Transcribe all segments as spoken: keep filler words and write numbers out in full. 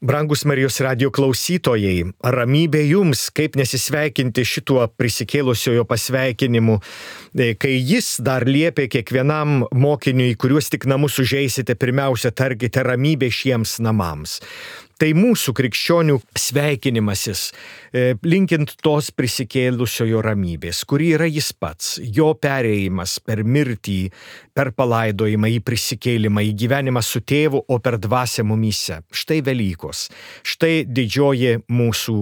Brangus Marijos radijo klausytojai, ramybė jums, kaip nesisveikinti šituo prisikėlusiojo pasveikinimu, kai jis dar liepė kiekvienam mokiniui, kuriuos tik namus užeisite, pirmiausia tarkite ramybė šiems namams. Tai mūsų krikščionių sveikinimasis, linkint tos prisikėlusiojo ramybės, kuri yra jis pats, jo perėjimas per mirtį, per palaidojimą, į prisikėlimą, į gyvenimą su tėvu, o per dvasią mumyse. Štai Velykos, štai didžioji mūsų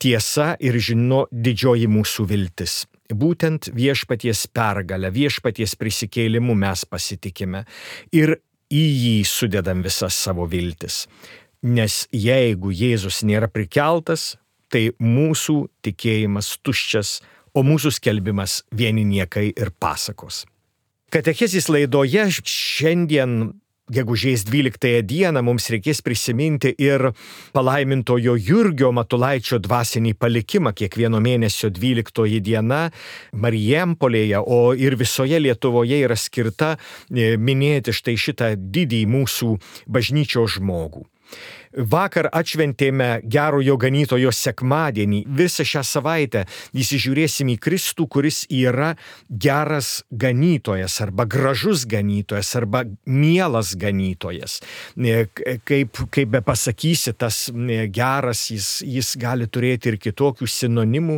tiesa ir žino didžioji mūsų viltis. Būtent viešpaties pergalę, viešpaties prisikėlimu mes pasitikime ir į jį sudedam visas savo viltis. Nes jeigu Jėzus nėra prikeltas, tai mūsų tikėjimas tuščias, o mūsų skelbimas vieni niekai ir pasakos. Katechezės laidoje šiandien, gegužės dvyliktąją dieną, mums reikės prisiminti ir palaimintojo Jurgio Matulaičio dvasinį palikimą. Kiekvieno mėnesio dvyliktoji diena Marijampolėje, o ir visoje Lietuvoje yra skirta minėti štai šitą didį mūsų bažnyčios žmogų. Vakar atšventėme gerojo ganytojo sekmadienį. Visą šią savaitę įsižiūrėsim į Kristų, kuris yra geras ganytojas arba gražus ganytojas arba mielas ganytojas. Kaip, kaip be pasakysi, tas geras, jis, jis gali turėti ir kitokių sinonimų.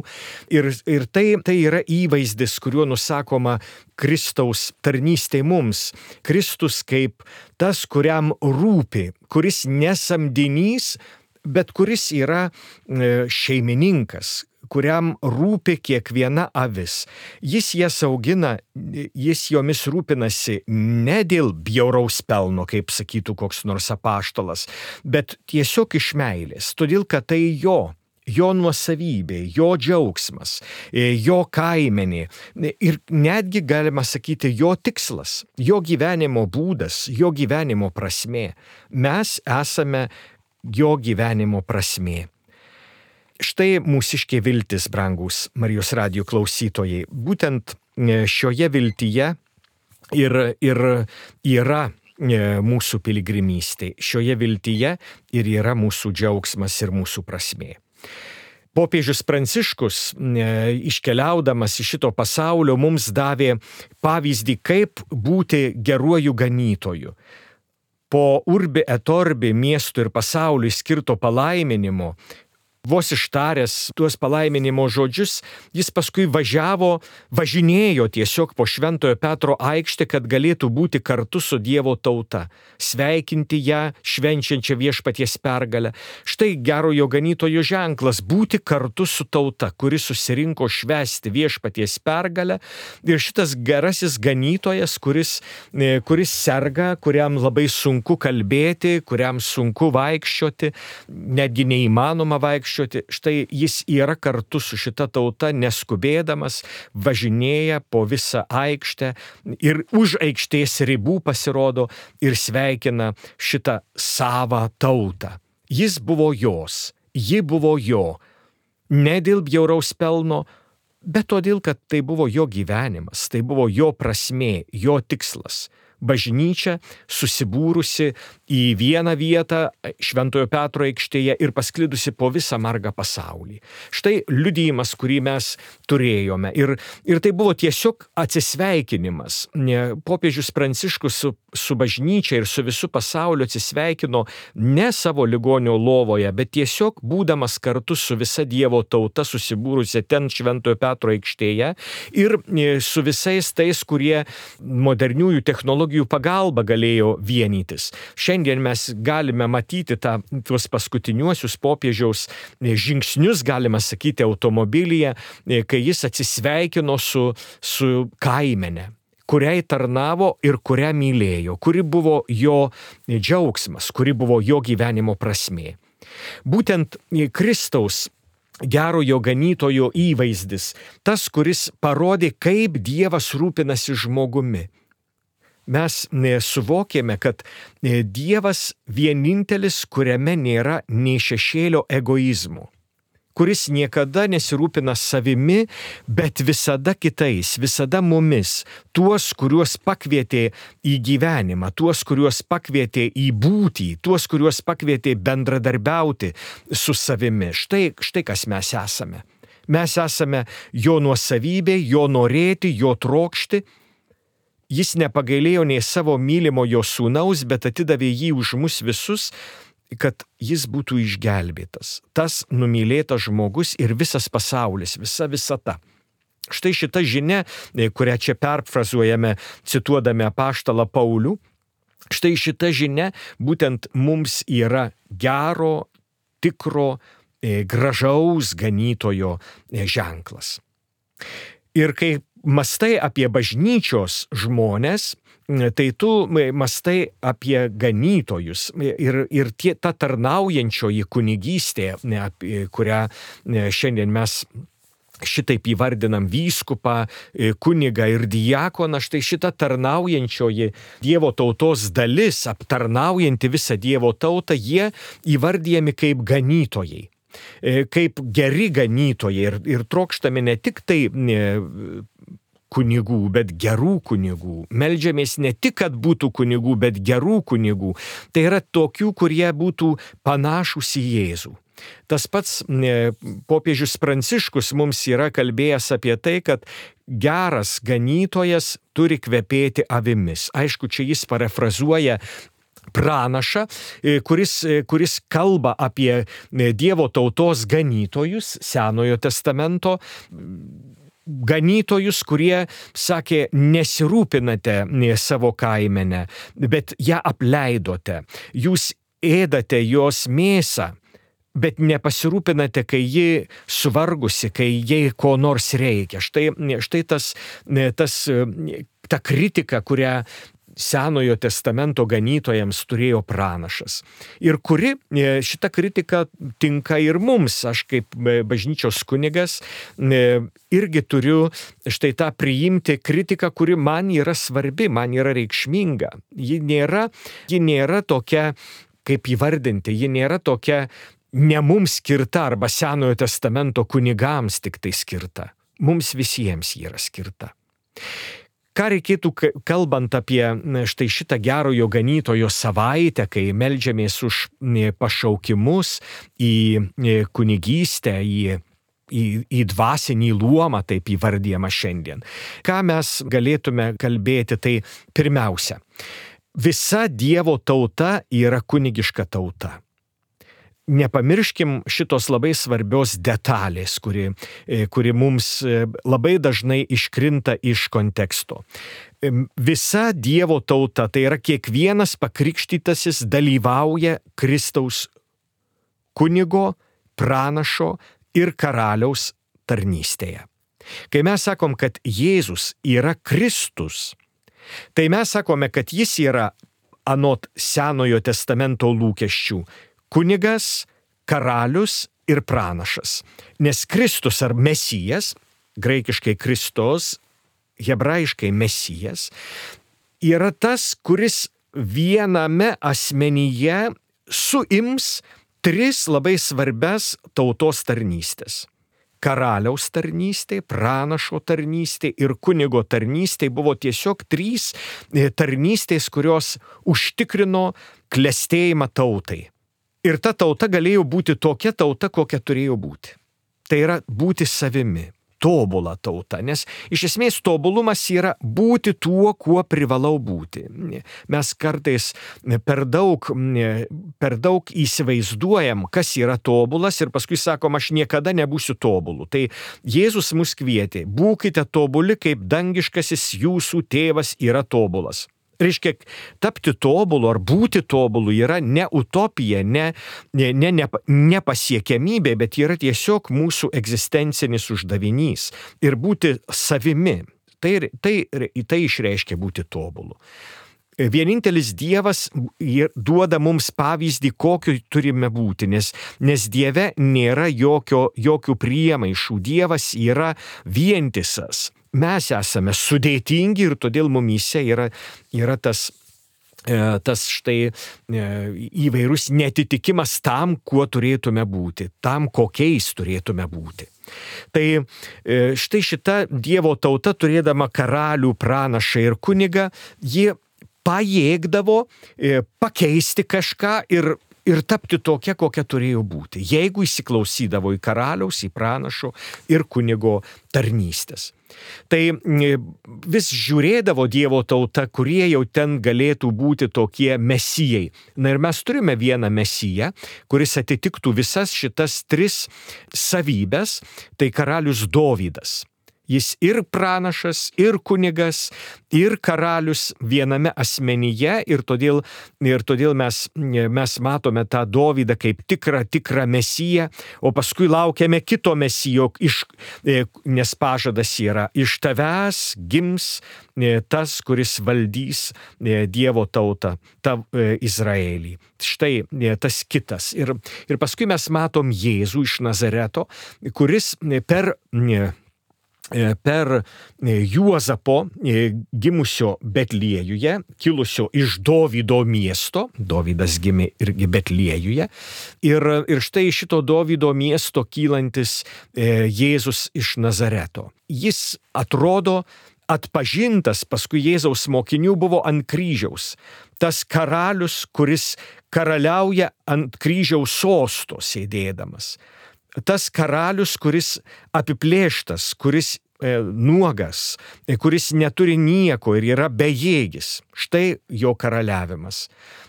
Ir, ir tai, tai yra įvaizdis, kuriuo nusakoma Kristaus tarnystė mums. Kristus kaip tas, kuriam rūpi, kuris nesamdinys, bet kuris yra šeimininkas, kuriam rūpi kiekviena avis. Jis jas augina, jis jomis rūpinasi ne dėl bjauraus pelno, kaip sakytų koks nors apaštalas, bet tiesiog iš meilės, todėl kad tai jo. Jo nuosavybė, jo džiaugsmas, jo kaimenė ir netgi galima sakyti jo tikslas, jo gyvenimo būdas, jo gyvenimo prasmė. Mes esame jo gyvenimo prasmė. Štai mūsiškė viltis, brangus Marijos radijo klausytojai. Būtent šioje viltyje ir, ir yra mūsų piligrimystė. Šioje viltyje ir yra mūsų džiaugsmas ir mūsų prasmė. Popiežius Pranciškus, iškeliaudamas iš šito pasaulio, mums davė pavyzdį, kaip būti geruoju ganytoju. Po urbi et orbi miestų ir pasauliui skirto palaiminimo, vos ištaręs tuos palaiminimo žodžius, jis paskui važiavo, važinėjo tiesiog po Šventojo Petro aikštę, kad galėtų būti kartu su Dievo tauta, sveikinti ją, švenčiančią viešpaties pergalę. Štai gerojo ganytojo ženklas - būti kartu su tauta, kuri susirinko švęsti viešpaties pergalę. Ir šitas gerasis ganytojas, kuris, kuris serga, kuriam labai sunku kalbėti, kuriam sunku vaikščioti, netgi neįmanoma vaikščioti. Štai jis yra kartu su šita tauta, neskubėdamas, važinėja po visą aikštę ir už aikštės ribų pasirodo ir sveikina šitą savą tautą. Jis buvo jos, ji buvo jo, ne dėl bjauraus pelno, bet todėl, kad tai buvo jo gyvenimas, tai buvo jo prasmė, jo tikslas. Bažnyčia susibūrusi į vieną vietą Šventojo Petro aikštėje ir pasklidusi po visą margą pasaulį. Štai liudijimas, kurį mes turėjome. Ir, ir tai buvo tiesiog atsisveikinimas. Popiežius Pranciškus su, su bažnyčia ir su visu pasauliu atsisveikino ne savo ligonio lovoje, bet tiesiog būdamas kartu su visa Dievo tauta susibūrusi ten Šventojo Petro aikštėje ir su visais tais, kurie moderniųjų technologijų pagalba galėjo vienytis. Šiandien mes galime matyti tą, tuos paskutiniuosius popiežiaus žingsnius, galima sakyti, automobilyje, kai jis atsisveikino su, su kaimene, kuriai tarnavo ir kurią mylėjo, kuri buvo jo džiaugsmas, kuri buvo jo gyvenimo prasmė. Būtent Kristaus gerojo ganytojo įvaizdis, tas, kuris parodė, kaip Dievas rūpinasi žmogumi. Mes suvokėme, kad Dievas vienintelis, kuriame nėra nei šešėlio egoizmo, kuris niekada nesirūpina savimi, bet visada kitais, visada mumis, tuos, kuriuos pakvietė į gyvenimą, tuos, kuriuos pakvietė į būtį, tuos, kuriuos pakvietė bendradarbiauti su savimi. Štai, štai kas mes esame. Mes esame jo nuosavybė, jo norėti, jo trokšti. Jis nepagailėjo nei savo mylimojo sūnaus, bet atidavė jį už mus visus, kad jis būtų išgelbėtas. Tas numylėtas žmogus ir visas pasaulis, visa visata. Štai šita žinia, kurią čia perfrazuojame, cituodami apaštalą Paulių, štai šita žinia būtent mums yra gero, tikro, gražaus ganytojo ženklas. Ir kai mastai apie bažnyčios žmonės, tai tu mastai apie ganytojus ir, ir tie, ta tarnaujančioji kunigystė, kurią šiandien mes šitaip įvardinam vyskupą, kunigą ir diakoną, štai šita tarnaujančioji Dievo tautos dalis, aptarnaujanti visą Dievo tautą, jie įvardijami kaip ganytojai. Kaip geri ganytojai ir, ir trokštame ne tik tai kunigų, bet gerų kunigų. Meldžiamės ne tik, kad būtų kunigų, bet gerų kunigų. Tai yra tokių, kurie būtų panašūs į Jėzų. Tas pats popiežius Pranciškus mums yra kalbėjęs apie tai, kad geras ganytojas turi kvepėti avimis. Aišku, čia jis parafrazuoja pranašą, kuris, kuris kalba apie Dievo tautos ganytojus, Senojo testamento ganytojus, kurie sakė, nesirūpinate savo kaimenę, bet ją apleidote. Jūs ėdate jos mėsą, bet nepasirūpinate, kai ji suvargusi, kai jai ko nors reikia. Štai, štai tas, tas, ta kritika, kurią Senojo testamento ganytojams turėjo pranašas. Ir kuri šita kritika tinka ir mums. Aš kaip bažnyčios kunigas irgi turiu štai tą priimti kritiką, kuri man yra svarbi, man yra reikšminga. Ji nėra, ji nėra tokia, kaip įvardinti, ji nėra tokia ne mums skirta arba Senojo testamento kunigams tik tai skirta. Mums visiems ji yra skirta. Ką reikėtų, kalbant apie štai šitą gerojo ganytojo savaitę, kai meldžiamės už pašaukimus į kunigystę, į, į, į dvasinį luomą, taip įvardyjama šiandien. Ką mes galėtume kalbėti, tai pirmiausia, visa Dievo tauta yra kunigiška tauta. Nepamirškim šitos labai svarbios detalės, kuri, kuri mums labai dažnai iškrinta iš konteksto. Visa Dievo tauta, tai yra kiekvienas pakrikštytasis dalyvauja Kristaus kunigo, pranašo ir karaliaus tarnystėje. Kai mes sakom, kad Jėzus yra Kristus, tai mes sakome, kad jis yra anot Senojo testamento lūkesčių kunigas, karalius ir pranašas. Nes Kristus ar Mesijas, graikiškai Kristos, hebrajiškai Mesijas, yra tas, kuris viename asmenyje suims tris labai svarbias tautos tarnystės. Karaliaus tarnystė, pranašo tarnystė ir kunigo tarnystė buvo tiesiog trys tarnystės, kurios užtikrino klestėjimą tautai. Ir ta tauta galėjo būti tokia tauta, kokia turėjo būti. Tai yra būti savimi, tobula tauta, nes iš esmės tobulumas yra būti tuo, kuo privalau būti. Mes kartais per daug, per daug įsivaizduojam, kas yra tobulas ir paskui sakom, aš niekada nebūsiu tobulu. Tai Jėzus mus kvietė, būkite tobuli, kaip dangiškasis jūsų tėvas yra tobulas. Reiškia, tapti tobulu ar būti tobulu yra ne utopija, ne, ne, ne, ne, nepasiekiamybė, bet yra tiesiog mūsų egzistencinis uždavinys. Ir būti savimi, tai, tai, tai išreiškia būti tobulu. Vienintelis Dievas duoda mums pavyzdį, kokiu turime būti, nes, nes Dieve nėra jokio, jokių priemaišų. Dievas yra vientisas. Mes esame sudėtingi ir todėl mumyse yra, yra tas tas štai įvairus netitikimas tam, kuo turėtume būti, tam, kokiais turėtume būti. Tai štai šita Dievo tauta, turėdama karalių, pranašą ir kunigą, ji pajėgdavo pakeisti kažką ir ir tapti tokia, kokia turėjo būti, jeigu įsiklausydavo į karaliaus, į pranašo ir kunigo tarnystės. Tai vis žiūrėdavo Dievo tauta, kurie jau ten galėtų būti tokie mesijai. Na ir mes turime vieną mesiją, kuris atitiktų visas šitas tris savybės, tai karalius Dovydas. Jis ir pranašas, ir kunigas, ir karalius viename asmenyje ir todėl, ir todėl mes, mes matome tą Dovydą kaip tikrą, tikrą mesiją, o paskui laukiame kito mesijo, iš, nes pažadas yra, iš tavęs gims tas, kuris valdys Dievo tautą, tą Izraelį. Štai tas kitas. Ir, ir paskui mes matom Jėzų iš Nazareto, kuris per per Juozapo gimusio Betliejuje, kilusio iš Dovydo miesto, Dovydas gimė irgi Betliejuje, ir, ir štai šito Dovydo miesto kylantis Jėzus iš Nazareto. Jis atrodo atpažintas, paskui Jėzaus mokinių buvo ant kryžiaus. Tas karalius, kuris karaliauja ant kryžiaus sosto sėdėdamas. Tas karalius, kuris apiplėštas, kuris e, nuogas, e, kuris neturi nieko ir yra bejėgis. Štai jo karaliavimas.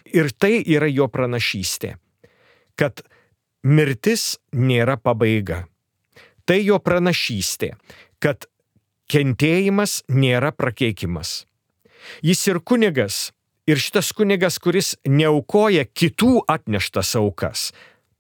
Ir tai yra jo pranašystė, kad mirtis nėra pabaiga. Tai jo pranašystė, kad kentėjimas nėra prakeikimas. Jis ir kunigas, ir šitas kunigas, kuris neaukoja kitų atneštas aukas,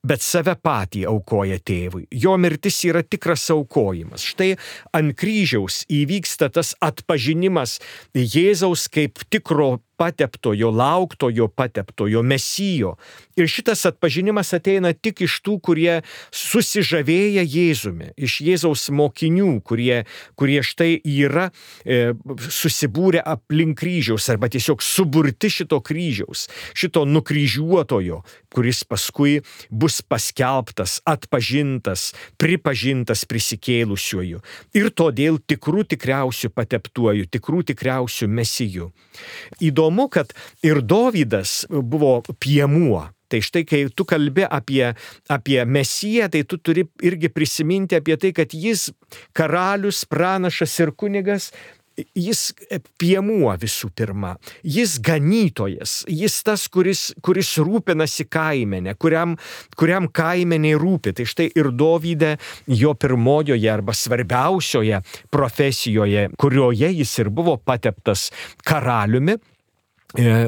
bet save patį aukoja tėvui. Jo mirtis yra tikras aukojimas. Štai ant kryžiaus įvyksta tas atpažinimas Jėzaus kaip tikro pateptojo, lauktojo pateptojo, mesijo. Ir šitas atpažinimas ateina tik iš tų, kurie susižavėja Jėzumi, iš Jėzaus mokinių, kurie, kurie štai yra e, susibūrę aplink kryžiaus arba tiesiog suburti šito kryžiaus, šito nukryžiuotojo, kuris paskui bus paskelbtas, atpažintas, pripažintas prisikėlusiuoju. Ir todėl tikrų tikriausių pateptuoju, tikrų tikriausių mesijų. Įdomu, kad ir Dovydas buvo piemuo. Tai štai, kai tu kalbi apie, apie mesiją, tai tu turi irgi prisiminti apie tai, kad jis karalius, pranašas ir kunigas, jis piemuo visų pirma. Jis ganytojas, jis tas, kuris, kuris rūpinasi kaimenę, kuriam, kuriam kaimeniai rūpi. Tai štai ir Dovyde jo pirmojoje arba svarbiausioje profesijoje, kurioje jis ir buvo pateptas karaliumi,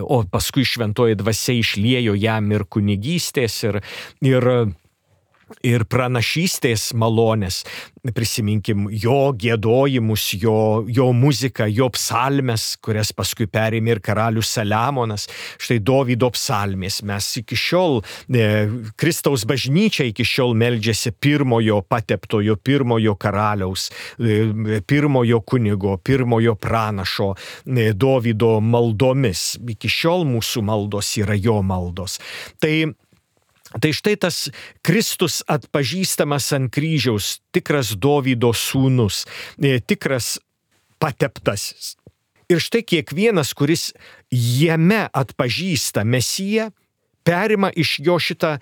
o paskui šventoji dvasia išliejo jam ir kunigystės, ir, ir, ir pranašystės malonės. Prisiminkim jo giedojimus, jo, jo muziką, jo psalmes, kurias paskui perėmė ir karalius Saliamonas. Štai Dovydo psalmės. Mes iki šiol, e, Kristaus bažnyčia iki šiol meldžiasi pirmojo pateptojo, pirmojo karaliaus, e, pirmojo kunigo, pirmojo pranašo e, Dovydo maldomis. Iki šiol mūsų maldos yra jo maldos. Tai Tai štai tas Kristus atpažįstamas ant kryžiaus, tikras Dovydo sūnus, tikras pateptasis. Ir štai kiekvienas, kuris jame atpažįsta Mesiją, perima iš jo šitą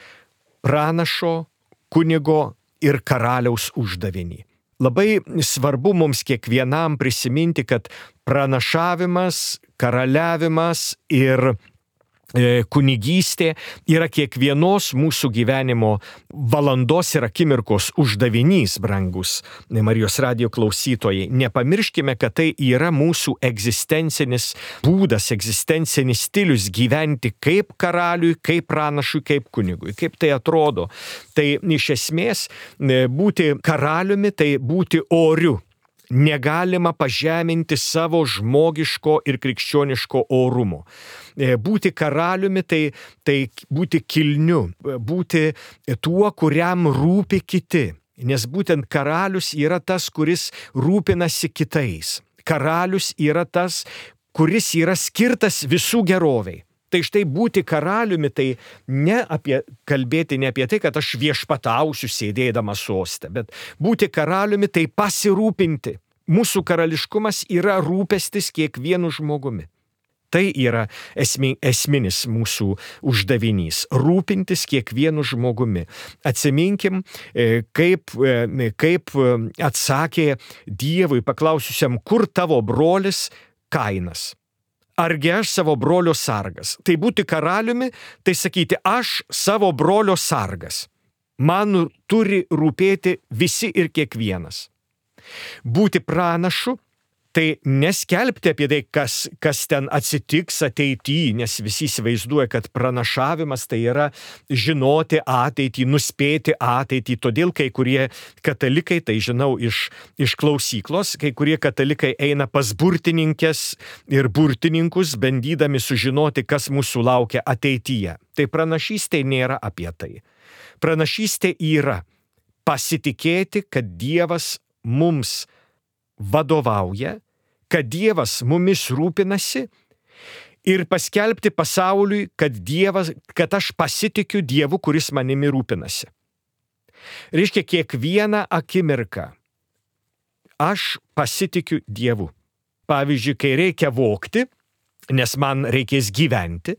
pranašo, kunigo ir karaliaus uždavinį. Labai svarbu mums kiekvienam prisiminti, kad pranašavimas, karaliavimas ir kunigystė yra kiekvienos mūsų gyvenimo valandos ir akimirkos uždavinys, brangus Marijos radijo klausytojai. Nepamirškime, kad tai yra mūsų egzistencinis būdas, egzistencinis stilius gyventi kaip karaliui, kaip pranašui, kaip kunigui. Kaip tai atrodo? Tai iš esmės būti karaliumi, tai būti oriu. Negalima pažeminti savo žmogiško ir krikščioniško orumo. Būti karaliumi, tai, tai būti kilniu, būti tuo, kuriam rūpi kiti. Nes būtent karalius yra tas, kuris rūpinasi kitais. Karalius yra tas, kuris yra skirtas visų geroviai. Tai štai būti karaliumi, tai ne apie, kalbėti ne apie tai, kad aš viešpatausiu sėdėdamas soste, bet būti karaliumi tai pasirūpinti. Mūsų karališkumas yra rūpestis kiekvienu žmogumi. Tai yra esmi, esminis mūsų uždavinys – rūpintis kiekvienu žmogumi. Atsiminkim, kaip, kaip atsakė Dievui paklausiusiam, kur tavo brolis Kainas. Argi aš savo brolio sargas? Tai būti karaliumi, tai sakyti, aš savo brolio sargas. Man turi rūpėti visi ir kiekvienas. Būti pranašu, tai neskelbti apie tai, kas, kas ten atsitiks ateityje, nes visi įsivaizduoja, kad pranašavimas tai yra žinoti ateitį, nuspėti ateitį. Todėl kai kurie katalikai, tai žinau iš, iš klausyklos, kai kurie katalikai eina pas burtininkės ir burtininkus, bandydami sužinoti, kas mūsų laukia ateityje. Tai pranašystė nėra apie tai. Pranašystė yra pasitikėti, kad Dievas mums vadovauja, kad Dievas mumis rūpinasi ir paskelbti pasauliui, kad, Dievas, kad aš pasitikiu Dievu, kuris manimi rūpinasi. Reiškia, kiekvieną akimirką aš pasitikiu Dievu. Pavyzdžiui, kai reikia vogti, nes man reikės gyventi,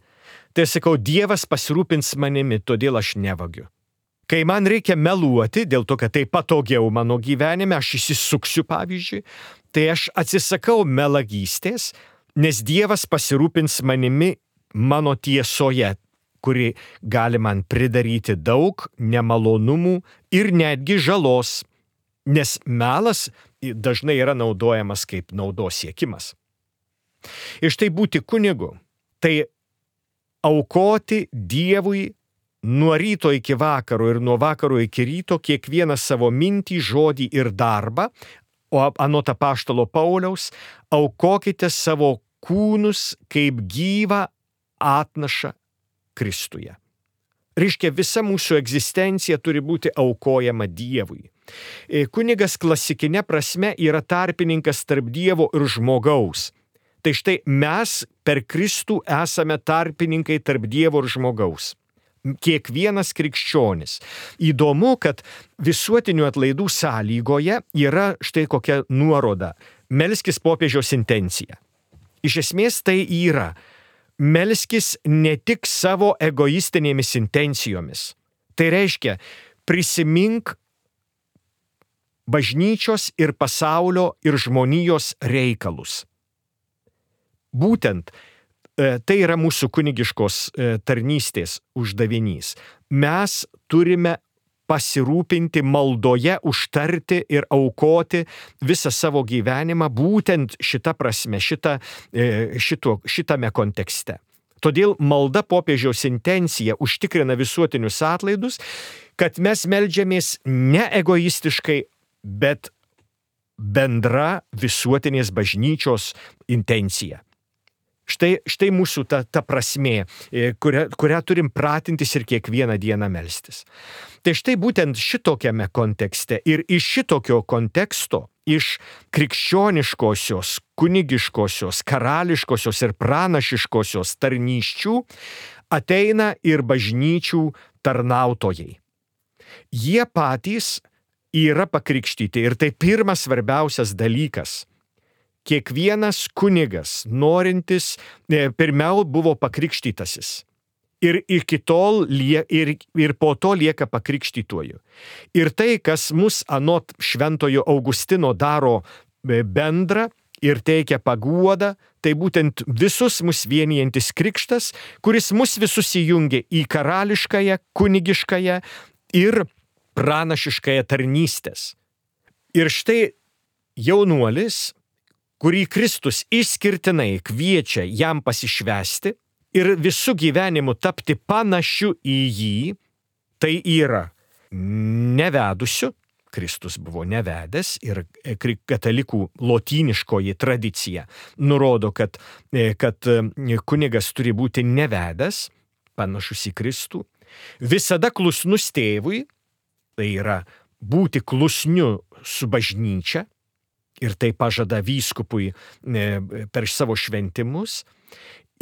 tai sakau, Dievas pasirūpins manimi, todėl aš nevagiu. Kai man reikia meluoti, dėl to, kad tai patogiau mano gyvenime, aš įsisuksiu pavyzdžiui, tai aš atsisakau melagystės, nes Dievas pasirūpins manimi mano tiesoje, kuri gali man pridaryti daug nemalonumų ir netgi žalos, nes melas dažnai yra naudojamas kaip naudos siekimas. Ir štai būti kunigu, tai aukoti Dievui nuo ryto iki vakaro ir nuo vakaro iki ryto kiekvieną savo mintį, žodį ir darbą, o anot apaštalo Pauliaus, aukokite savo kūnus kaip gyvą atnašą Kristuje. Reiškia, visa mūsų egzistencija turi būti aukojama Dievui. Kunigas klasikinė prasme yra tarpininkas tarp Dievo ir žmogaus. Tai štai mes per Kristų esame tarpininkai tarp Dievo ir žmogaus. Kiekvienas krikščionis. Įdomu, kad visuotinių atlaidų sąlygoje yra štai kokia nuoroda – melskis popiežiaus intencija. Iš esmės tai yra melskis ne tik savo egoistinėmis intencijomis. Tai reiškia, prisimink bažnyčios ir pasaulio ir žmonijos reikalus. Būtent tai yra mūsų kunigiškos tarnystės uždavinys. Mes turime pasirūpinti maldoje, užtarti ir aukoti visą savo gyvenimą būtent šitą prasme, šitą, šito, šitame kontekste. Todėl malda popiežiaus intencija užtikrina visuotinius atlaidus, kad mes meldžiamės ne egoistiškai, bet bendra visuotinės bažnyčios intencija. Štai, štai mūsų ta, ta prasmė, kurią, kurią turim pratintis ir kiekvieną dieną melstis. Tai štai būtent šitokiame kontekste ir iš šitokio konteksto, iš krikščioniškosios, kunigiškosios, karališkosios ir pranašiškosios tarnysčių ateina ir bažnyčių tarnautojai. Jie patys yra pakrikštyti ir tai pirmas svarbiausias dalykas. Kiekvienas kunigas, norintis, pirmiau buvo pakrikštytasis. Ir iki tol, ir, ir po to lieka pakrikštytuoju. Ir tai, kas mus anot šventojo Augustino daro bendrą ir teikia paguodą, tai būtent visus mus vienijantis krikštas, kuris mus visus įjungia į karališkąją, kunigiškąją ir pranašiškąją tarnystės. Ir štai jaunuolis, kurį Kristus išskirtinai kviečia jam pasišvęsti ir visų gyvenimu tapti panašiu į jį, tai yra nevedusiu, Kristus buvo nevedęs ir katalikų lotyniškoji tradicija nurodo, kad, kad kunigas turi būti nevedęs, panašus į Kristų, visada klusnus tėvui, tai yra būti klusniu su bažnyčia, ir tai pažada vyskupui per savo šventimus,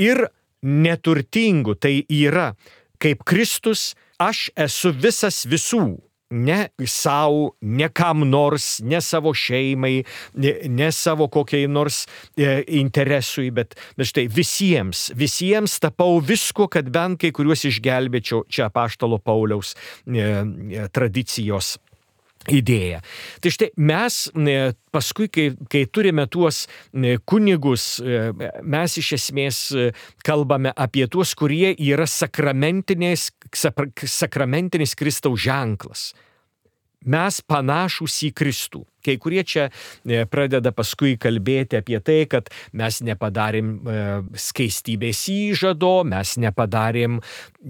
ir neturtingu, tai yra kaip Kristus, aš esu visas visų. Ne savo, ne kam nors, ne savo šeimai, ne, ne savo kokiai nors e, interesui, bet, bet štai visiems, visiems tapau visko, kad bent kai kuriuos išgelbėčiau, čia apaštalo Pauliaus e, e, tradicijos idėja. Tai štai mes paskui, kai, kai turime tuos kunigus, mes iš esmės kalbame apie tuos, kurie yra sakramentinis, sakramentinis Kristaus ženklas. Mes panašūs į Kristų. Kai kurie čia pradeda paskui kalbėti apie tai, kad mes nepadarėm skaistybės įžado, mes nepadarėm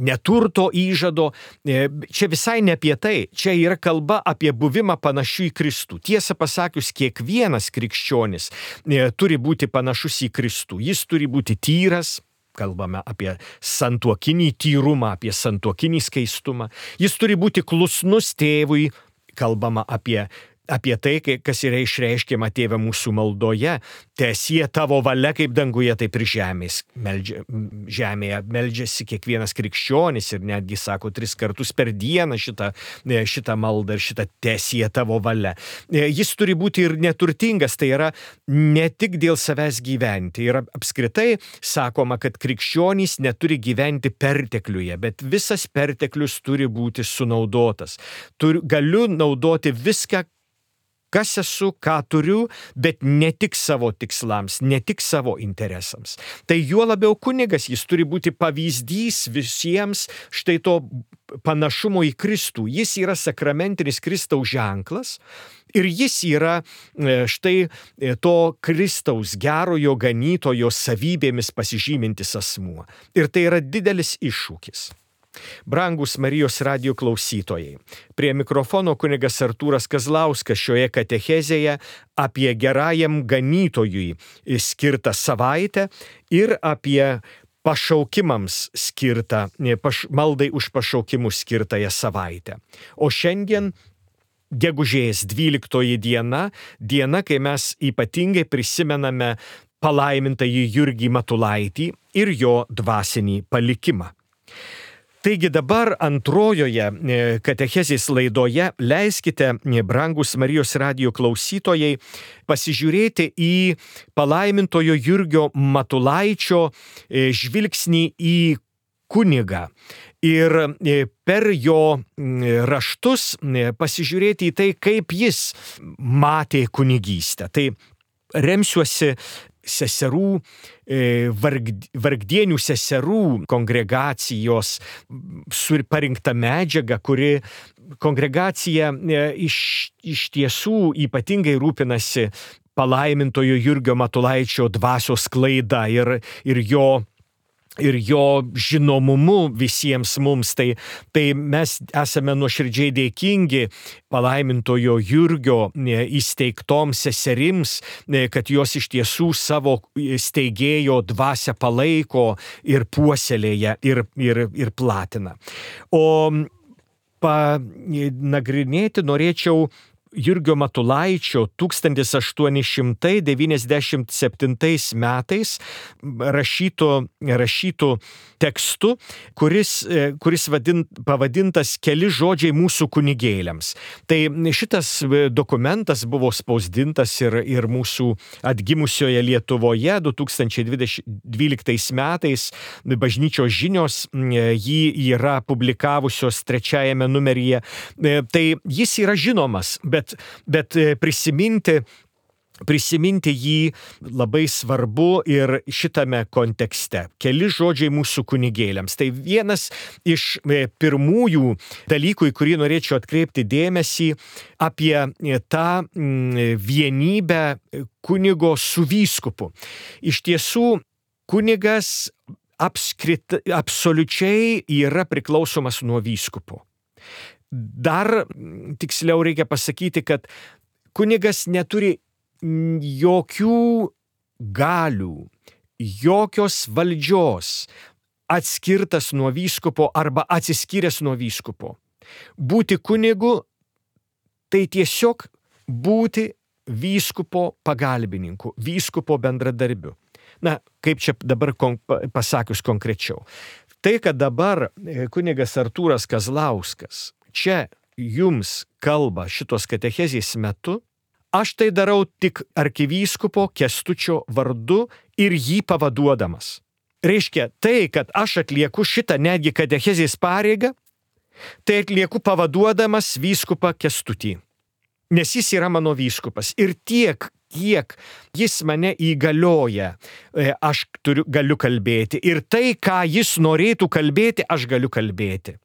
neturto įžado. Čia visai ne apie tai. Čia yra kalba apie buvimą panašių į Kristų. Tiesą pasakius, kiekvienas krikščionis turi būti panašus į Kristų. Jis turi būti tyras. Kalbame apie santuokinį tyrumą, apie santuokinį skaistumą. Jis turi būti klusnus tėvui. Kalbama apie, apie tai, kas yra išreiškiama Tėve mūsų maldoje. Teesie tavo valia kaip danguje, taip ir žemės. Meldžia, žemėje meldžiasi kiekvienas krikščionis ir netgi sako tris kartus per dieną šitą, šitą maldą ir šitą teesie tavo valia. Jis turi būti ir neturtingas, tai yra ne tik dėl savęs gyventi. Ir apskritai sakoma, kad krikščionys neturi gyventi pertekliuje, bet visas perteklius turi būti sunaudotas. Turiu, galiu naudoti viską, kas esu, ką turiu, bet ne tik savo tikslams, ne tik savo interesams. Tai juo labiau kunigas, jis turi būti pavyzdys visiems štai to panašumo į Kristų. Jis yra sakramentinis Kristaus ženklas ir jis yra štai to Kristaus gerojo ganytojo savybėmis pasižymintis asmuo. Ir tai yra didelis iššūkis. Brangus Marijos radijo klausytojai, prie mikrofono kunigas Artūras Kazlauskas šioje katechezėje apie gerajam ganytojui skirtą savaitę ir apie pašaukimams skirtą, paš, maldai už pašaukimus skirtąją savaitę. O šiandien gegužės dvyliktoji diena, diena, kai mes ypatingai prisimename palaimintąjį Jurgį Matulaitį ir jo dvasinį palikimą. Taigi dabar antrojoje katechezės laidoje leiskite, brangus Marijos radijo klausytojai, pasižiūrėti į palaimintojo Jurgio Matulaičio žvilgsnį į kunigą ir per jo raštus pasižiūrėti į tai, kaip jis matė kunigystę. Tai remsiuosi seserų, vargdienių seserų kongregacijos parinkta medžiaga, kuri kongregacija iš, iš tiesų ypatingai rūpinasi palaimintojo Jurgio Matulaičio dvasios sklaida ir, ir jo ir jo žinomumu visiems mums, tai, tai mes esame nuoširdžiai dėkingi palaimintojo Jurgio įsteigtoms seserims, kad jos iš tiesų savo steigėjo dvasią palaiko ir puoselėja ir, ir, ir platina. O panagrinėti norėčiau Jurgio Matulaičio tūkstantis aštuoni šimtai devyniasdešimt septintais metais rašytų, rašytų tekstu, kuris, kuris vadint, pavadintas Keli žodžiai mūsų kunigėliams. Tai šitas dokumentas buvo spausdintas ir, ir mūsų atgimusioje Lietuvoje du tūkstančiai dvyliktais metais. Bažnyčios žinios jį yra publikavusios trečiajame numeryje. Tai jis yra žinomas, bet Bet, bet prisiminti, prisiminti jį labai svarbu ir šitame kontekste. Keli žodžiai mūsų kunigėliams. Tai vienas iš pirmųjų dalykų, į kurį norėčiau atkreipti dėmesį, apie tą vienybę kunigo su vyskupu. Iš tiesų, kunigas apskrit, absoliučiai yra priklausomas nuo vyskupo. Dar tiksliau reikia pasakyti, kad kunigas neturi jokių galių, jokios valdžios atskirtas nuo vyskupo arba atsiskyręs nuo vyskupo. Būti kunigu tai tiesiog būti vyskupo pagalbininku, vyskupo bendradarbiu. Na, kaip čia dabar kon, pasakius konkrečiau. Tai, kad dabar kunigas Artūras Kazlauskas čia jums kalba šitos katechezės metu, aš tai darau tik arkivyskupo Kęstučio vardu ir jį pavaduodamas. Reiškia, tai, kad aš atlieku šitą netgi katechezės pareigą, tai atlieku pavaduodamas vyskupą Kęstutį. Nes jis yra mano vyskupas. Ir tiek, kiek jis mane įgalioja, aš turiu, galiu kalbėti. Ir tai, ką jis norėtų kalbėti, aš galiu kalbėti.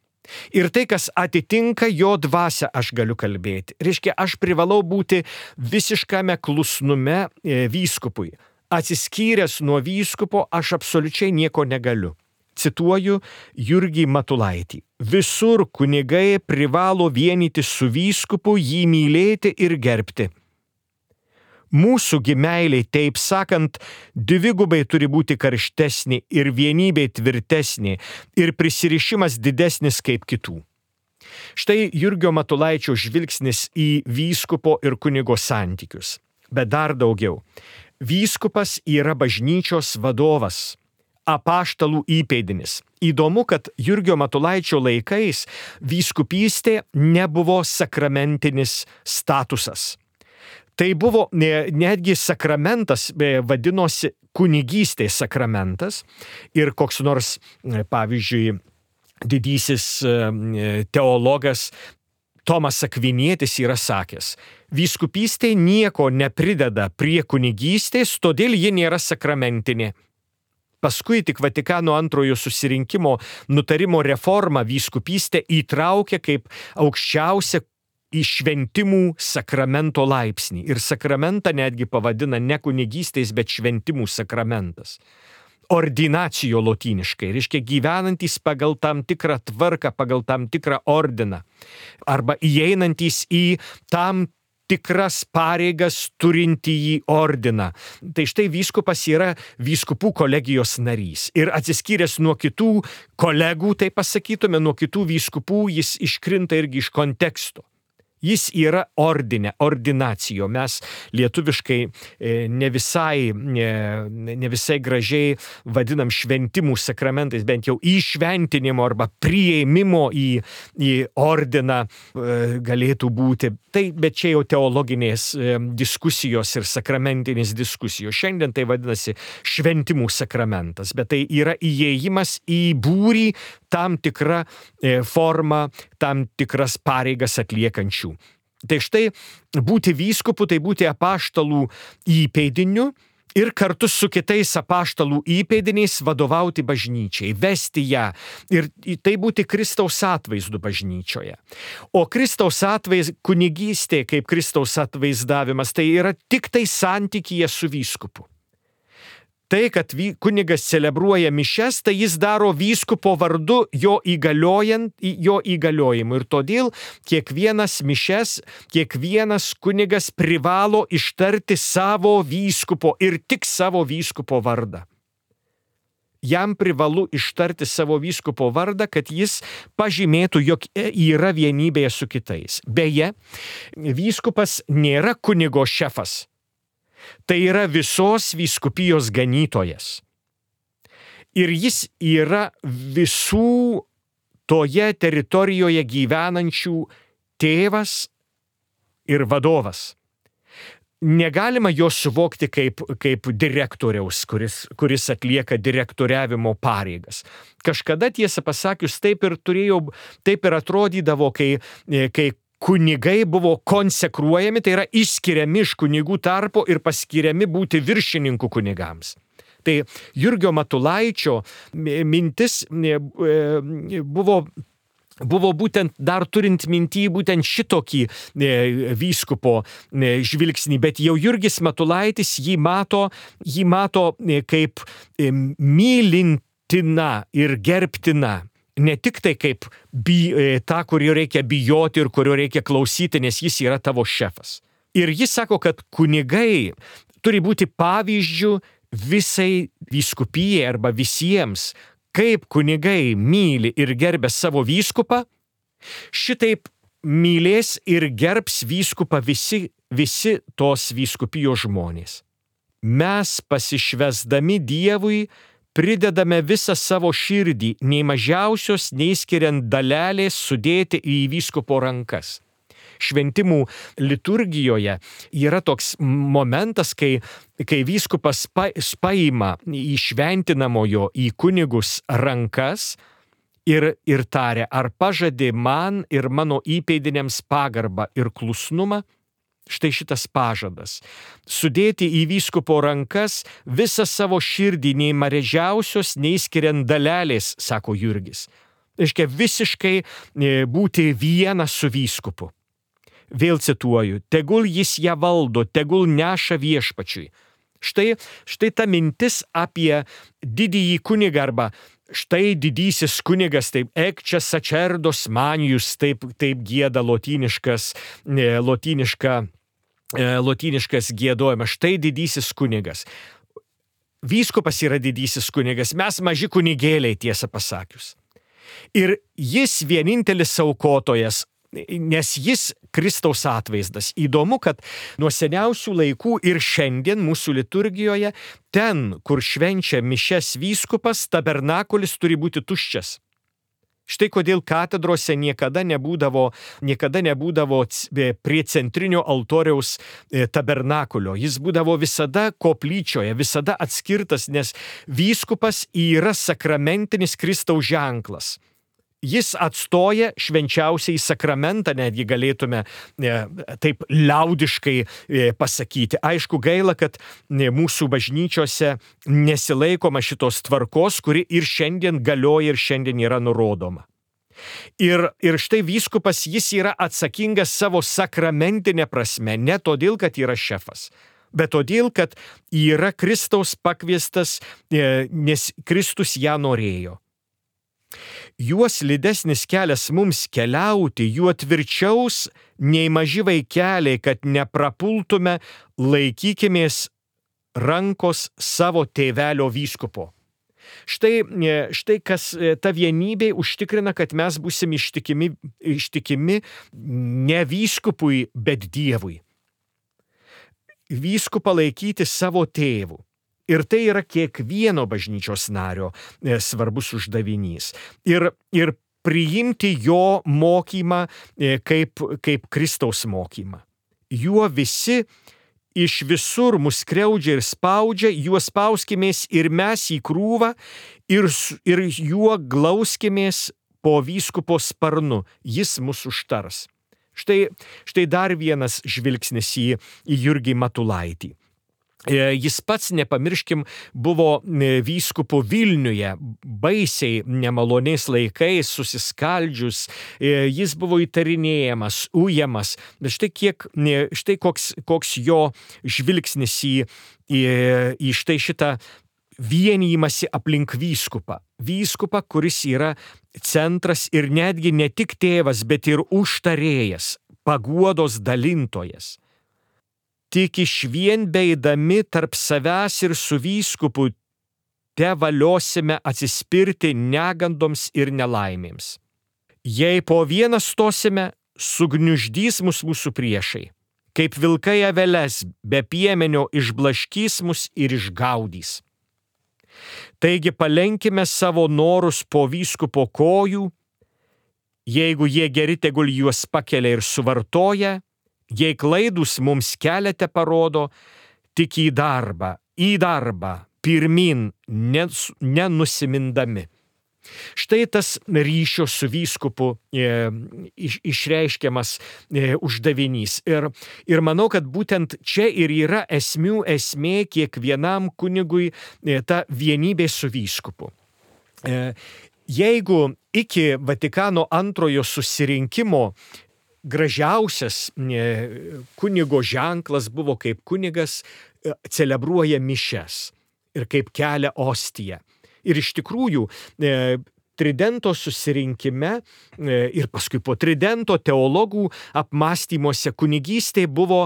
Ir tai, kas atitinka jo dvasią, aš galiu kalbėti. Reiškia, aš privalau būti visiškame klusnume vyskupui. Atsiskyręs nuo vyskupo, aš absoliučiai nieko negaliu. Cituoju Jurgį Matulaitį. Visur kunigai privalo vienyti su vyskupu, jį mylėti ir gerbti. Mūsų meilė, taip sakant, dvigubai turi būti karštesnė ir vienybė tvirtesnė ir prisirišimas didesnis kaip kitų. Štai Jurgio Matulaičio žvilgsnis į vyskupo ir kunigo santykius. Bet dar daugiau. Vyskupas yra bažnyčios vadovas, apaštalų įpėdinis. Įdomu, kad Jurgio Matulaičio laikais vyskupystė nebuvo sakramentinis statusas. Tai buvo netgi sakramentas, vadinosi kunigystės sakramentas ir koks nors, pavyzdžiui, didysis teologas Tomas Akvinietis yra sakęs, vyskupystė nieko neprideda prie kunigystės, todėl ji nėra sakramentinė. Paskui tik Vatikano antrojo susirinkimo nutarimo reforma vyskupystę įtraukė kaip aukščiausią į šventimų sakramento laipsnį. Ir sakramentą netgi pavadina ne kunigystės, bet šventimų sakramentas. Ordinacijo lotyniškai, reiškia gyvenantys pagal tam tikrą tvarką, pagal tam tikrą ordiną. Arba įeinantys į tam tikras pareigas turintį į ordiną. Tai štai vyskupas yra vyskupų kolegijos narys. Ir atsiskyręs nuo kitų kolegų, tai pasakytume, nuo kitų vyskupų, jis iškrinta irgi iš konteksto. Jis yra ordinė, ordinacijo. Mes lietuviškai ne visai, ne visai gražiai vadinam šventimų sakramentais, bent jau įšventinimo arba priėmimo į, į ordiną galėtų būti. Tai, bet čia jau teologinės diskusijos ir sakramentinės diskusijos. Šiandien tai vadinasi šventimų sakramentas, bet tai yra įėjimas į būrį tam tikrą formą, tam tikras pareigas atliekančių. Tai štai būti vyskupu, tai būti apaštalų įpėdiniu ir kartu su kitais apaštalų įpėdiniais vadovauti bažnyčiai, vesti ją ir tai būti Kristaus atvaizdu bažnyčioje. O Kristaus atvaizdas, kunigystė kaip Kristaus atvaizdavimas, tai yra tik tai santykyje su vyskupu. Tai, kad kunigas celebruoja mišias, tai jis daro vyskupo vardu jo įgaliojant, jo įgaliojimu. Ir todėl kiekvienas mišias, kiekvienas kunigas privalo ištarti savo vyskupo ir tik savo vyskupo vardą. Jam privalu ištarti savo vyskupo vardą, kad jis pažymėtų, jog yra vienybėje su kitais. Beje, vyskupas nėra kunigo šefas. Tai yra visos vyskupijos ganytojas. Ir jis yra visų toje teritorijoje gyvenančių tėvas ir vadovas. Negalima jo suvokti kaip, kaip direktoriaus, kuris, kuris atlieka direktoriavimo pareigas. Kažkada, tiesą pasakius, taip ir turėjau, taip ir atrodydavo, kai, kai kunigai buvo konsekruojami, tai yra išskiriami iš kunigų tarpo ir paskiriami būti viršininkų kunigams. Tai Jurgio Matulaičio mintis buvo, buvo būtent dar turint mintį būtent šitokį vyskupo žvilgsnį, bet jau Jurgis Matulaitis jį mato, jį mato kaip mylintina ir gerbtina. Ne tik tai kaip bi, tą, kurio reikia bijoti ir kurio reikia klausyti, nes jis yra tavo šefas. Ir jis sako, kad kunigai turi būti pavyzdžių visai vyskupijai arba visiems, kaip kunigai myli ir gerbia savo vyskupą, šitaip mylės ir gerbs vyskupą visi, visi tos vyskupijos žmonės. mes pasišvesdami Dievui pridedame visą savo širdį, nei mažiausios, nei skiriant dalelės sudėti į vyskupo rankas. Šventimų liturgijoje yra toks momentas, kai, kai vyskupas pa, paima į šventinamojo, į kunigus rankas ir, ir taria, ar pažadė man ir mano įpėdiniams pagarbą ir klusnumą. Štai šitas pažadas. Sudėti į vyskupo rankas visą savo širdį, nei mažiausios, nei skiriant dalelės, sako Jurgis. Reiškia visiškai būti viena su vyskupu. Vėl cituoju, tegul jis ją valdo, tegul neša viešpačiui. Štai, štai ta mintis apie didįjį kunigą arba štai didysis kunigas, taip ekčia sacerdos manijus, taip, taip gieda lotyniškas, lotyniška, lotyniškas giedojimas, štai didysis kunigas. Vyskupas yra didysis kunigas, mes maži kunigėliai, tiesą pasakius. Ir jis vienintelis aukotojas, nes jis Kristaus atvaizdas. Įdomu, kad nuo seniausių laikų ir šiandien mūsų liturgijoje, ten, kur švenčia mišias vyskupas, tabernakulis turi būti tuščias. Štai kodėl katedrose niekada nebūdavo, niekada nebūdavo prie centrinio altoriaus tabernakulio. Jis būdavo visada koplyčioje, visada atskirtas, nes vyskupas yra sakramentinis Kristaus ženklas. Jis atstoja švenčiausiai sakramentą, netgi galėtume e, taip liaudiškai e, pasakyti. Aišku, gaila, kad e, mūsų bažnyčiose nesilaikoma šitos tvarkos, kuri ir šiandien galioja ir šiandien yra nurodoma. Ir, ir štai vyskupas, jis yra atsakingas savo sakramentinę prasme, ne todėl, kad yra šefas, bet todėl, kad yra Kristaus pakviestas, e, nes Kristus ją norėjo. Juos lydesnis kelias mums keliauti, juo tvirčiaus nei maži vaikeliai, kad neprapultume, laikykimės rankos savo tėvelio vyskupo. Štai, štai kas ta vienybė užtikrina, kad mes būsim ištikimi, ištikimi ne vyskupui, bet Dievui. Vyskupą laikyti savo tėvu. Ir tai yra kiekvieno bažnyčios nario e, svarbus uždavinys. Ir, ir priimti jo mokymą e, kaip, kaip Kristaus mokymą. Juo visi iš visur mus skriaudžia ir spaudžia, juo spauskimės ir mes į krūvą ir, ir juo glauskimės po vyskupo sparnu, jis mus užtars. Štai, štai dar vienas žvilgsnis į, į Jurgį Matulaitį. Jis pats, nepamirškim, buvo vyskupu Vilniuje, baisiai nemaloniais laikais, susiskaldžius, jis buvo įtarinėjamas, ujamas. Štai, kiek, štai koks, koks jo žvilgsnis į, į, į štai šitą vienijimąsi aplink vyskupą. Vyskupą, kuris yra centras ir netgi ne tik tėvas, bet ir užtarėjas, paguodos dalintojas. Tik išvien beidami tarp savęs ir su vyskupu te valiosime atsispirti negandoms ir nelaimėms. Jei po vieną stosime, sugniuždys mus mūsų priešai, kaip vilkai aveles be piemenio išblaškys mus ir išgaudys. Taigi palenkime savo norus po vyskupo kojų, jeigu jie geri, tegul juos pakelia ir suvartoja, jei klaidus mums keliate parodo, tik į darbą, į darbą, pirmin, nenusimindami. Štai tas ryšio su vyskupu e, iš, išreiškiamas e, uždavinys. Ir, ir manau, kad būtent čia ir yra esmių esmė kiekvienam kunigui e, ta vienybė su vyskupu. E, jeigu iki Vatikano antrojo susirinkimo gražiausias kunigo ženklas buvo, kaip kunigas celebruoja mišias ir kaip kelia ostiją. Ir iš tikrųjų Tridento susirinkime ir paskui po Tridento teologų apmąstymuose kunigystė buvo,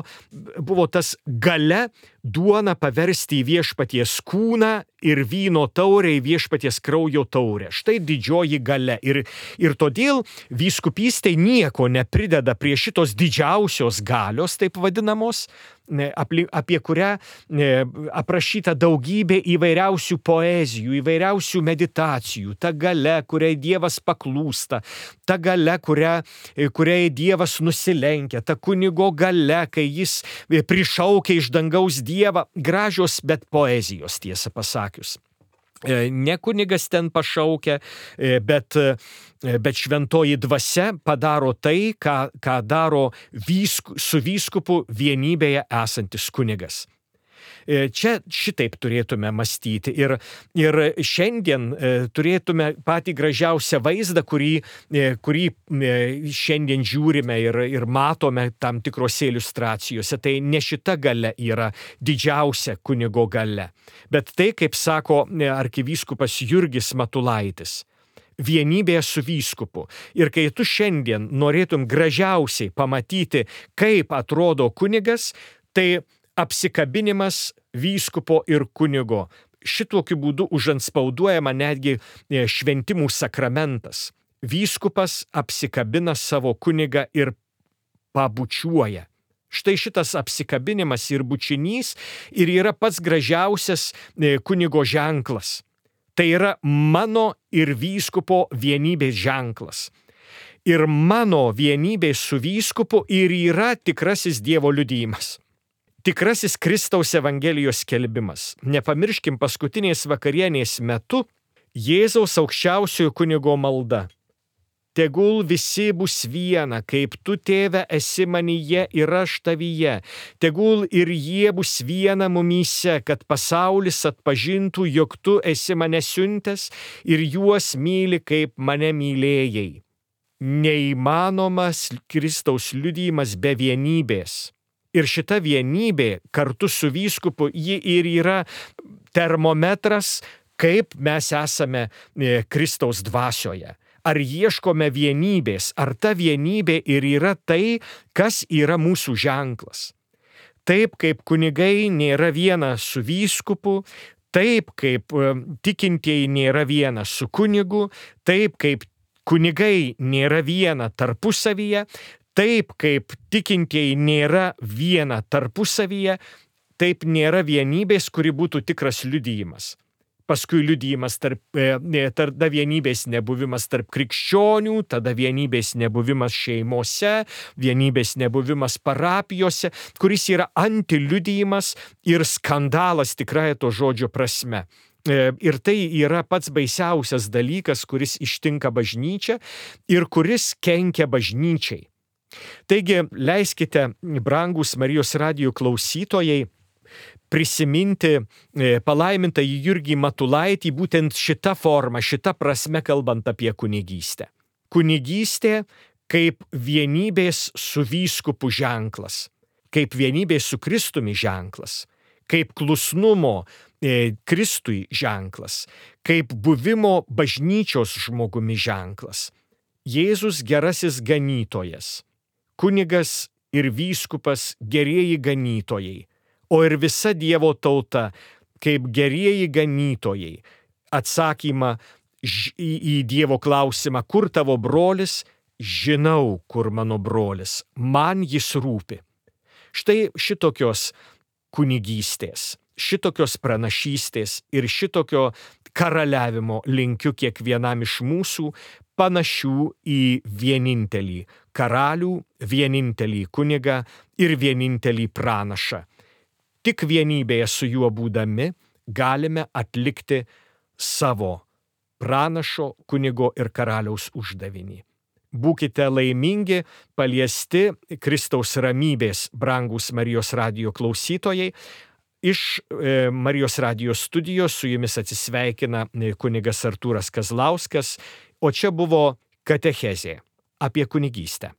buvo tas galia duoną paversti į viešpaties kūną ir vyno taurę į viešpaties kraujo taurę. Štai didžioji galia. Ir, ir todėl vyskupystė nieko neprideda prie šitos didžiausios galios, taip vadinamos, apie kurią aprašyta daugybė įvairiausių poezijų, įvairiausių meditacijų, ta galia, kuriai Dievas paklūsta, ta galia, kuria, kuriai Dievas nusilenkia, ta kunigo galia, kai jis prišaukia iš dangaus Dievą, gražios, bet poezijos, tiesą pasakius. Ne kunigas ten pašaukia, bet, bet šventoji dvasia padaro tai, ką, ką daro vysku, su vyskupu vienybėje esantis kunigas. Čia šitaip turėtume mąstyti ir, ir šiandien turėtume patį gražiausią vaizdą, kurį, kurį šiandien žiūrime ir, ir matome tam tikrose iliustracijose. Tai ne šita galia yra didžiausia kunigo galia, bet tai, kaip sako arkivyskupas Jurgis Matulaitis, vienybėje su vyskupu. Ir kai tu šiandien norėtum gražiausiai pamatyti, kaip atrodo kunigas, tai apsikabinimas vyskupo ir kunigo. Šitokiu būdu užantspauduojama netgi šventimų sakramentas. Vyskupas apsikabina savo kunigą ir pabučiuoja. Štai šitas apsikabinimas ir bučinys ir yra pats gražiausias kunigo ženklas. Tai yra mano ir vyskupo vienybės ženklas. Ir mano vienybė su vyskupu ir yra tikrasis Dievo liudijimas. Tikrasis Kristaus Evangelijos skelbimas. Nepamirškim paskutinės vakarienės metu Jėzaus aukščiausiojo kunigo malda. Tegul visi bus viena, kaip tu, Tėve, esi manyje ir aš tavyje. Tegul ir jie bus viena mumyse, kad pasaulis atpažintų, jog tu esi mane siuntęs ir juos myli, kaip mane mylėjai. Neįmanomas Kristaus liudijimas be vienybės. Ir šita vienybė kartu su vyskupu, ji ir yra termometras, kaip mes esame Kristaus dvasioje. Ar ieškome vienybės, ar ta vienybė ir yra tai, kas yra mūsų ženklas. Taip kaip kunigai nėra viena su vyskupu, taip kaip tikintieji nėra viena su kunigu, taip kaip kunigai nėra viena tarpusavyje, taip kaip tikintieji nėra viena tarpusavyje, taip nėra vienybės, kuri būtų tikras liudijimas. Paskui liudijimas tarp, tada vienybės nebuvimas tarp krikščionių, tada vienybės nebuvimas šeimose, vienybės nebuvimas parapijose, kuris yra antiliudijimas ir skandalas tikrąja to žodžio prasme. Ir tai yra pats baisiausias dalykas, kuris ištinka bažnyčią ir kuris kenkia bažnyčiai. Taigi, leiskite, brangūs Marijos radijo klausytojai, prisiminti palaimintąjį Jurgį Matulaitį būtent šitą formą, šitą prasme kalbant apie kunigystę. Kunigystė kaip vienybės su vyskupu ženklas, kaip vienybės su Kristumi ženklas, kaip klusnumo Kristui ženklas, kaip buvimo bažnyčios žmogumi ženklas. Jėzus gerasis ganytojas. Kunigas ir vyskupas gerieji ganytojai, o ir visa Dievo tauta kaip gerieji ganytojai. Atsakymą į, į Dievo klausimą, kur tavo brolis, žinau, kur mano brolis, man jis rūpi. Štai šitokios kunigystės, šitokios pranašystės ir šitokio karaliavimo linkiu kiekvienam iš mūsų, panašių į vienintelį karalių, vienintelį kunigą ir vienintelį pranašą. Tik vienybėje su juo būdami galime atlikti savo pranašo, kunigo ir karaliaus uždavinį. Būkite laimingi, paliesti Kristaus ramybės, brangūs Marijos radijo klausytojai. Iš e, Marijos radijo studijos su jumis atsisveikina kunigas Artūras Kazlauskas, o čia buvo katechezė apie kunigystę.